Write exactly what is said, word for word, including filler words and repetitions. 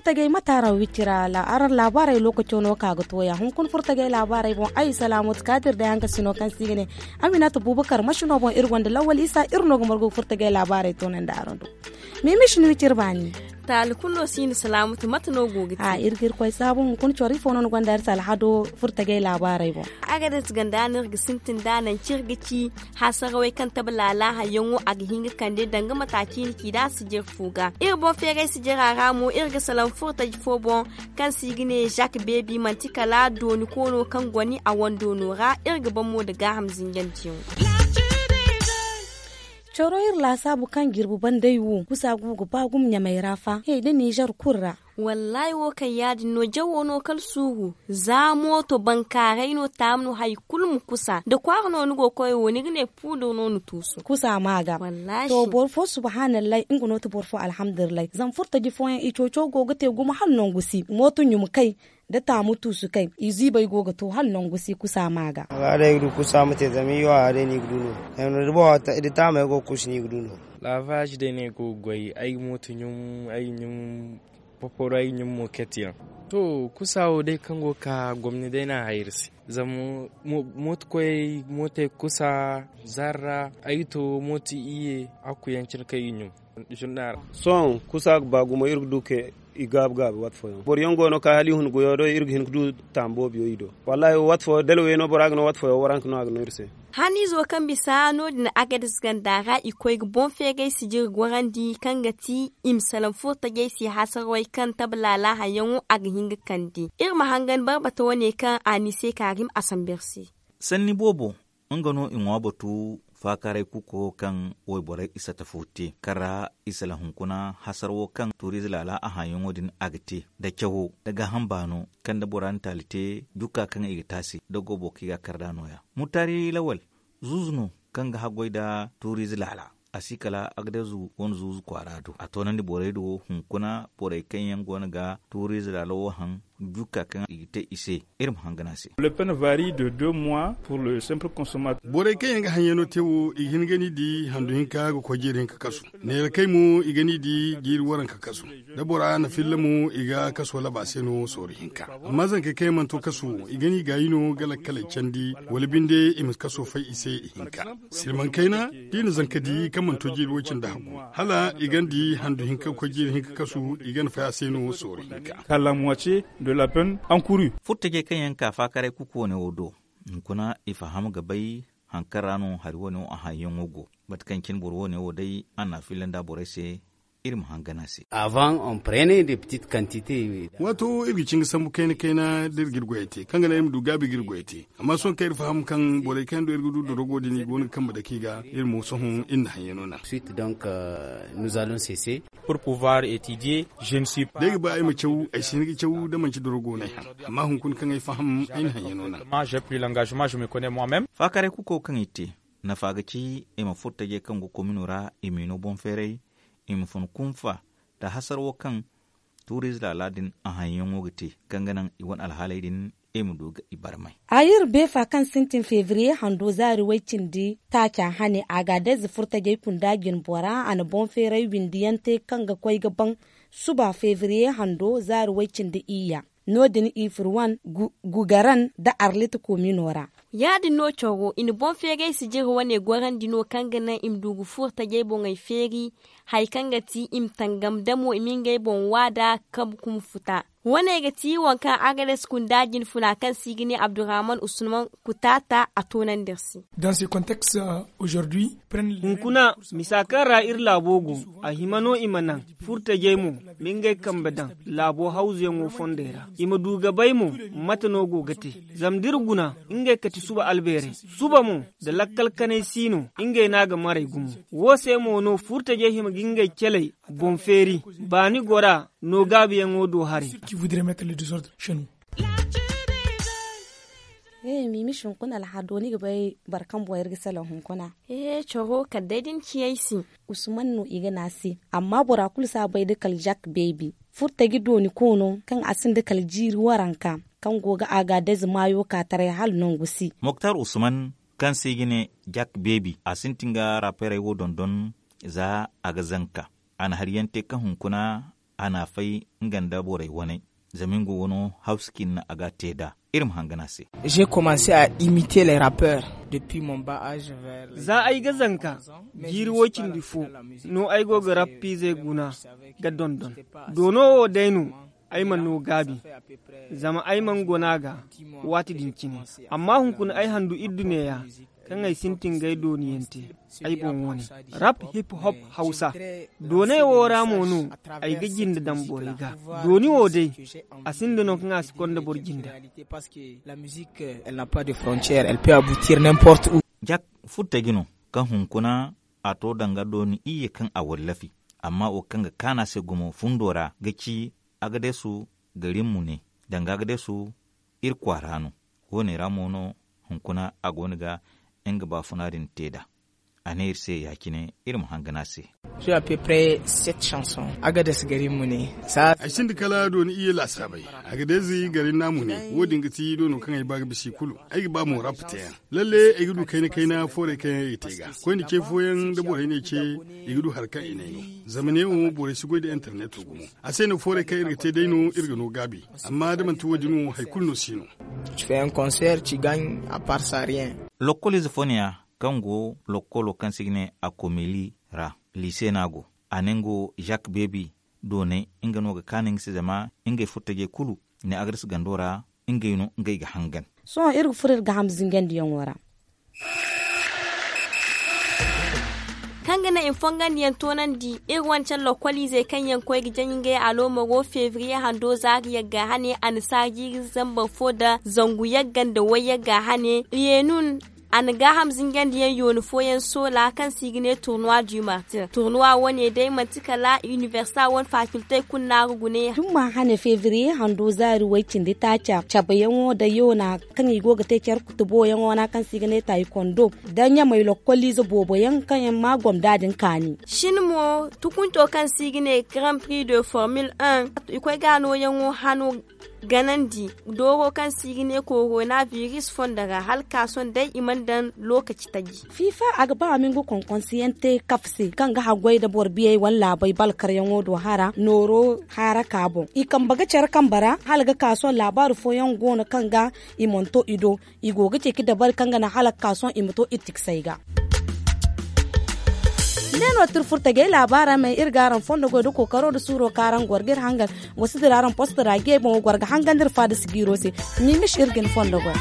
Furtajey mate araŋ wicira araŋ laabaarey lookaco no ka ga tooya hunkuna furtajey laabaarey boŋ ay salaamatu kaadir day hankasino kaŋ se i ga ne, aminata buubakar masino boŋ iri gonda lawwal isa iri no ga margu ga furtajey laabaarey toonandi araŋ do. Miimis ni wiciri baani. Taali kulu no si ni salaamatu mate no go ga te? Iri ga irkoy saabu hunkuna coro ifo no ni gonda iri se alhado furtajey laabaarey boŋ. Agades ganda no iri ga sintin da nanci iri ga ci hasarawey kaŋ tabe laala hayyaŋo a ga hin ga kande danga mata ciini ci da a si jare fo ga iri boŋ feeray si jare a ra mo iri ga salaŋ furo taji fo boŋ, kaŋ se i ga ne zak beebi manti kala dooni koono kaŋ goni a wando no ra iri ga ban mo nda gaaham zinjandiyaŋo. Coro iri laasaabu kaŋ jirbi banday wo kusa go ga ba gumo ɲamay ra fa he da nizer kulu ra. Wallaahi wo kaŋ ya- din no jawo no kala suuru za mooto bankaaray no taama no hari kulu ma kusa da kwaara no ni go ga koy wo ni ga ne puudur no ni tuusu kusa ma ga. To boro fo subhaanallahi nga no ti boro fo alhamdulillahi zama furtaji fooyaŋ i cooco go ga te gumo hala nangu si mooto ɲuma kay da taamu tuusu kay i ziibay go ga to hala nangu si kusa ma ga. Ga day ga du kusa ma te zama i yo a day no i ga du no. Da taamey go ga kuusu no i ga du no. Laavaazi day no ay go ga goy ay ga mooto ɲum ay ga ɲum poporo ay ga ɲum mo kate yaŋ. To kusa wo day kaŋ go ga ka gomni day no a hayri se zama mooto koyey mootey ga kusa zaari ra ay ga to mooto iyye a ga kuyaŋ cine kaŋ i ɲum. Sohõ kusa ga ba gumo iri ga du ka i gaabi gaabi waati fooyaŋ boro yaŋ go no ka hala i hun goyo do iri ga hin ga du taamu boobo yaŋ i do. Wallaahi waati fooyaŋ dala wayno bora ga no waati fooyaŋ waranka no a ga no iri se. Haniizo kaŋ bisa no- din agades ganda ra i koy ga boŋ feeray sijiri gorandi kaŋ ga ti i ma salaŋ furo tajay se hasarawey kaŋ tabe laala hayyaŋo a ga hin ga kande iri ma hangan barbata wane kaŋ a ni se kaarim a sambu iri se. Sanni boobo nga no i ŋwa batu faakaaray kuko kaŋ wayborey i sata fo te kaŋ ra i salaŋ hunkuna hasara wo kaŋ tuuriize laala a haŋyaŋo din a ga te nda cawo nda gaaham baano kaŋ nda bora na taali te jukka kaŋ i ga te a se da goobo kaŋ i ga a kar nd'a nooya. Murtaari lawal zuuzu no kaŋ ga haggoy nda tuuriize laala a si kala agdezu wane zuuzu kwaara do a toonandi borey do hunkuna borey kaŋ yaŋ go no ga tuuriize laala wo haŋ jukka kaŋ i ga te i se. Iri ma hangan a se. Borey kaŋ yaŋ ga haŋyaŋo te wo i ga hin ga ni di handu hinka ga koy jiiri hinka kasu. Neera kay mo i ga ni di jiiri waranka kasu. Da bora na filla mo i ga kaso laba se no sooru hinka. Amma zankey kaŋ yaŋ mana to kaso wo i ga ni gaayi no ga lakkaley candi wala binde i ma kaso fay i se ihinka. Silmaŋ kayna da i na zanka di kaŋ mana to jiiri way cindi haggu hala i gana di handu hinka ga koy jiiri hinka kasu i gana fay a se no sooru hinka. Furo tajey kaŋ yaŋ ka faakaray kuku wane wo do hunkuna i faham ga bay haŋ kaŋ ra no hari wane wo a haŋyaŋo go. Mate kaŋ cine boro wane wo day a na a filla nda borey se. Iri ma hangan a se. Waato iri ga cinga sambu kayna kayna da iri ga iri goyey te kaŋ ga naŋ iri ma du gaabi ga iri goyey te. Amma sohõ kaŋ iri faham kaŋ borey kaŋ yaŋ do iri ga du dorogo din i go no ga kambe dake i ga iri mo sohõ iri na haŋyaŋo naŋ. Suite donc nous allons cesser. Pour pouvoir étudier je ne suis pas. Da ay ga ba ay ma caw ay si hin ga caw da manci dorogo no ay haŋ. Amma hunkuna kaŋ ay faham ay na haŋyaŋo naŋ. Faakaray kuko kaŋ i te nafa ga ci i ma furo tajey kaŋ go komino ra i miino boŋ feeray i ma fun kunfa nda hasara wo kaŋ tuuriize laala din a haŋyaŋo ga te kaŋ ga naŋ i wane alhaaley din i ma du ga i barmay. A iri beefa kaŋ sintin febriye hando zaari way-cindi taaca hane a ga a day za furo tajey kunda jine bora a na boŋ feeray windi yaŋ te kaŋ ga koy ga baŋ suba febriye hando zaari way-cindi iyya. No- din i furo wane gugaran nda arlit komino ra. Ya- din no coro i na boŋ feeray sijiri wane gorandi no kaŋ ga naŋ i ma du ga furo tajey boŋey feeri. Hari kaŋ ga ti i ma tangam damo i ma ngey boŋ waada kabu kuma futa. Wane ga ti waŋ kaŋ agades kunda jinfuna kaŋ se i ga ne abdurrahman usman kutaata a toonandi iri se. Hunkuna misa kaŋ ra iri laabo go a hima no i ma naŋ furo tajey mo ma ngey kambe daŋ laabo hawzuyaŋo fondey ra i ma du ga bay mo mate no go ga te. Zama da iri guna ngey kati suba albeerey suba mo nda lakkal kanay si no ngey no a ga maray gumo. Wo se mo no furo tajey hima ga ngey caley boŋ feeri baani gora no gaabiyaŋo do haray. Miimis hunkuna alhado ni ga bay boro kaŋ boŋ iri ga salaŋ hunkuna. Coro kala day da ni ci ay se. Usman no i ga ne a se. Amma bora kulu si a bay da kala zak beebi furo taji dooni koono kaŋ a sinda kala jiiri waranka kaŋ go ga a ga adayze maayo ka taray hala nangu si. Moktar usman kaŋ se i ga ne zak beebi a sintin ga raperey wo dondon. Za a ga zanka a na hari yaŋ te kaŋ hunkuna a na a fay nga nda borey waney. Zama nga wano hawsikin no a ga a te nd'a. Iri ma hangan a se. J'ai commencé à imiter les rappeurs depuis mon bas âge vers les... Za ay ga zanka jiiri woy-cindi fo no ay go ga rappiizey guna ga dondon. Doono wo day no ay mana no gaabi, zama ay mana gona ga waati din cine. Amma hunkuna ay handu iddu neeya kaŋ ay sintin ga ay dooniyaŋ te ay boŋ wane. Rap, hip hop, hawsa dooney wo ra mo no ay ga jinde daŋ borey ga. Dooni wo day, a sinda no kaŋ a si konda boro jinde. La musique, elle n'a pas de frontière, elle peut aboutir n'importe où. Jak furtaji no kaŋ hunkuna a to danga dooni iyye kaŋ a wallafi. Amma wo kaŋ ga kaanu a se gumo fundo ra ga ci, agadesu garin mune danga agadesu iri kwaara no. Wo- ne ra mo no hunkuna a go no ga nga baafuna din te nd'a. A ne iri se ya- cine iri ma hangan a se. J'ai à peu près sept chansons. Agades garin mune. Ay sinda kala dooni iyye laasaabey. Agades garin na mune. Wo- din ga ti doono kaŋ ay ba ga bisa i kulu. Ay ga ba mo rap teyaŋ. Lalle ay ga du kayna kayna foorey kaŋ yaŋ ay ga te ga koyne ce fooyaŋ da borey ne ce. I ga du hari kaŋ i ne ay no. Zama neewo borey si goy nda interneto gumo. A se no foorey kaŋ iri ga te day no iri ga no gaabi. Amma da manti wo- din wo hari kulu no si no. Tu fais un concert, tu gagnes à part ça rien. Lokkoliize fo ne ya kaŋ go lokkolo kaŋ se i ga ne a komeli ra, liise no a go. A ne nga wo zak beebi doonay nga no ga kaanu nga se zama ngey furtajey kulu ne agres gando ra. Ngey no ngey ga hangan. Sohõ iri ga furo iri ga ham zingandiyaŋo ra. Kaŋ ga naŋ i ma fongandiyaŋ toonandi iri wancan lokkoliizey kaŋ yaŋ koy ga jaŋ ngey aloomaro febriye hando zaari yagga hane a na saaji jiiri zambar fo nda zangu yagga nda way yagga hane. Yenun a na gaaham zingandiyaŋ yooni fooyaŋ soola kaŋ se i ga ne turnuwa du martir turnuwa wane day manti kala inibersita wane faakiltey kulu no a ga guna yaŋ. Dumma hane febriye hando zaari way cindi taaca cabeyaŋo nda yoona kaŋ i go ga te care kutuboyaŋo ra kaŋ se i ga ne taayikondo nda ɲamey lokkoliize booboyaŋ kaŋ yaŋ ma gomda din kaani. Shin mo tukunto kaŋ se i ga ne grand prix de formule un i koy ga nooyaŋo hano ganandi dooro kaŋ se i ga ne korona biris fondo ra hala ka sohõ day i mana daŋ lookaci taji. Fiifa a ga ba a ma nga konkonsiyaŋ te kafa se kaŋ ga haggoy nda boro biyey wala laabey balkaryaŋo do hara nooro haaraka boŋ i kambe ga care kambe ra hala ga ka sohõ laabaari fooyaŋ go no kaŋ ga i mana to i do. I go ga ceeci dabari kaŋ ga naŋ hala ga ka sohõ i ma to iri tiksay ga. Ne no tira furtajey laabaara me iri ga araŋ fondo goy nda kookaro nda suuro kaŋ araŋ goro ga iri hangan. Wa si dira araŋ posto ra ge boŋ wa goro ga hangan da iri faada sigiiro se. Miimish iri ga ni fondo goy.